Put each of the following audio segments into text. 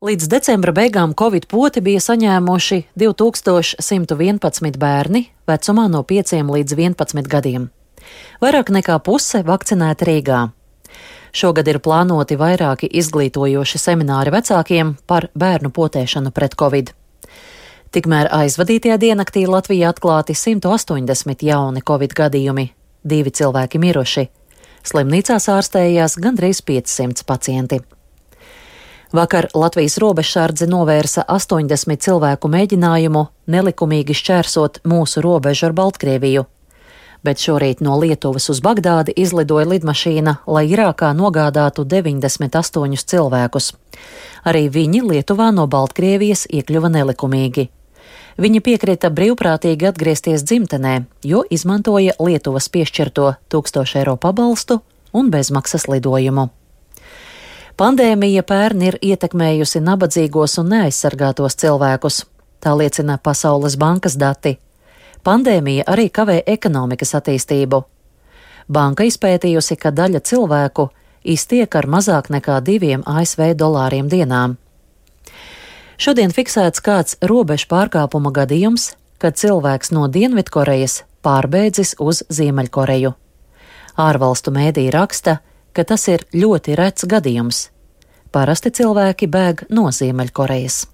Līdz decembra beigām Covid poti bija saņēmuši 2111 bērni vecumā no 5 līdz 11 gadiem. Vairāk nekā puse vakcinēti Rīgā. Šogad ir plānoti vairāki izglītojoši semināri vecākiem par bērnu potēšanu pret Covid. Tikmēr aizvadītajā diennaktī Latvijā atklāti 180 jauni Covid gadījumi, 2 cilvēki miruši. Slimnīcās ārstējās gandrīz 500 pacienti. Vakar Latvijas robežsardze novērsa 80 cilvēku mēģinājumu nelikumīgi šķērsot mūsu robežu ar Baltkrieviju, bet šorīt no Lietuvas uz Bagdādi izlidoja lidmašīna, lai Irākā nogādātu 98 cilvēkus. Arī viņi Lietuvā no Baltkrievijas iekļuva nelikumīgi. Viņi piekrita brīvprātīgi atgriezties dzimtenē, jo izmantoja Lietuvas piešķirto 1000 eiro pabalstu un bezmaksas lidojumu. Pandēmija pērn ir ietekmējusi nabadzīgos un neaizsargātos cilvēkus, tā liecina Pasaules bankas dati. Pandēmija arī kavē ekonomikas attīstību. Banka izpētījusi, ka daļa cilvēku iztiek ar mazāk nekā $2 ASV dienām. Šodien fiksēts kāds robežu pārkāpuma gadījums, kad cilvēks no Dienvidkorejas pārbēdzis uz Ziemeļkoreju. Ārvalstu mēdī raksta, ka tas ir ļoti rets gadījums. Parasti cilvēki bēg no Ziemeļkorejas.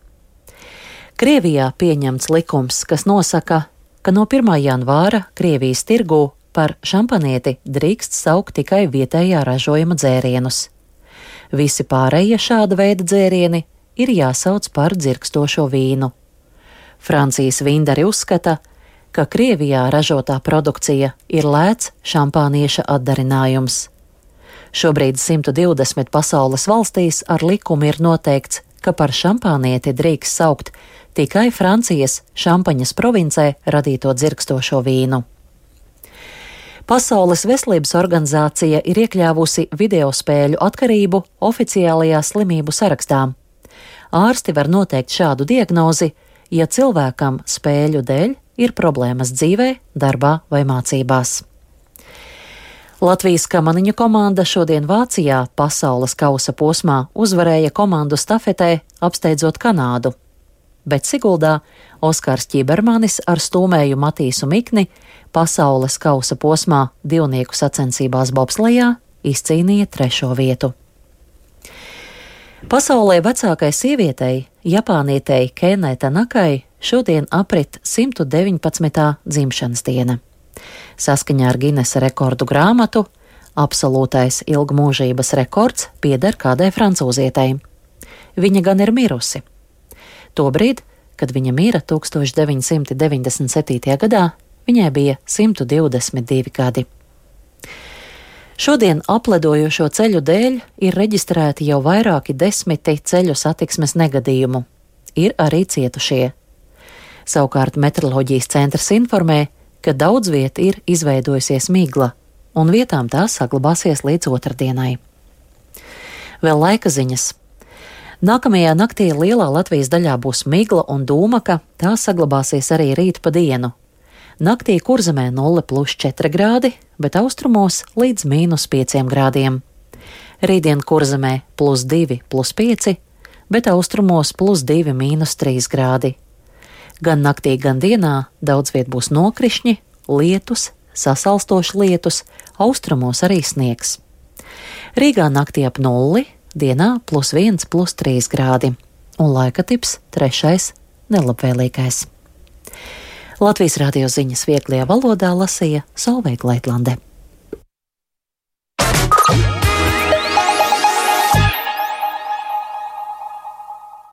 Krievijā pieņemts likums, kas nosaka, ka no 1. janvāra Krievijas tirgū par šampanieti drīkst saukt tikai vietējā ražojuma dzērienus. Visi pārējie šāda veida dzērieni ir jāsauc par dzirkstošo vīnu. Francijas vīndari uzskata, ka Krievijā ražotā produkcija ir lēts šampānieša atdarinājums. Šobrīd 120 pasaules valstīs ar likumu ir noteikts, ka par šampānieti drīkst saukt tikai Francijas Šampaņas provincē radīto dzirkstošo vīnu. Pasaules veselības organizācija ir iekļāvusi videospēļu atkarību oficiālajā slimību sarakstā. Ārsti var noteikt šādu diagnozi, ja cilvēkam spēļu dēļ ir problēmas dzīvē, darbā vai mācībās. Latvijas kamaniņu komanda šodien Vācijā pasaules kausa posmā uzvarēja komandu stafetē, apsteidzot Kanādu. Bet Siguldā Oskars Ķibermanis ar stūmēju Matīsu Mikni pasaules kausa posmā divnieku sacensībās bobslejā izcīnīja 3. vietu. Pasaulē vecākai sievietei, japānietei Kenai Tanakai, šodien aprit 119. dzimšanas diena. Saskaņā ar Ginesa rekordu grāmatu absolūtais ilgmūžības rekords pieder kādai francūzietei. Viņa gan ir mirusi. Tobrīd, kad viņa mira 1997. gadā, viņai bija 122 gadi. Šodien apledojošo ceļu dēļ ir reģistrēti jau vairāki 10 ceļu satiksmes negadījumu. Ir arī cietušie. Savukārt meteoroloģijas centrs informē, ka daudz viet ir izveidojusies migla, un vietām tā saglabāsies līdz otrdienai. Vēl laika ziņas. Nākamajā naktī lielā Latvijas daļā būs migla un dūmaka, tā saglabāsies arī rīt pa dienu. Naktī Kurzemē 0+4 grādi, bet austrumos līdz -5 grādiem. Rītdien Kurzemē +2, +5, bet austrumos +2, -3 grādi. Gan naktī, gan dienā daudz viet būs nokrišņi, lietus, sasalstošs lietus, austrumos arī sniegs. Rīgā naktī ap 0, dienā +1, +3 grādi, un laika tips 3. nelabvēlīgais. Latvijas radio ziņas vieglajā valodā lasīja Solveiga Leitlande.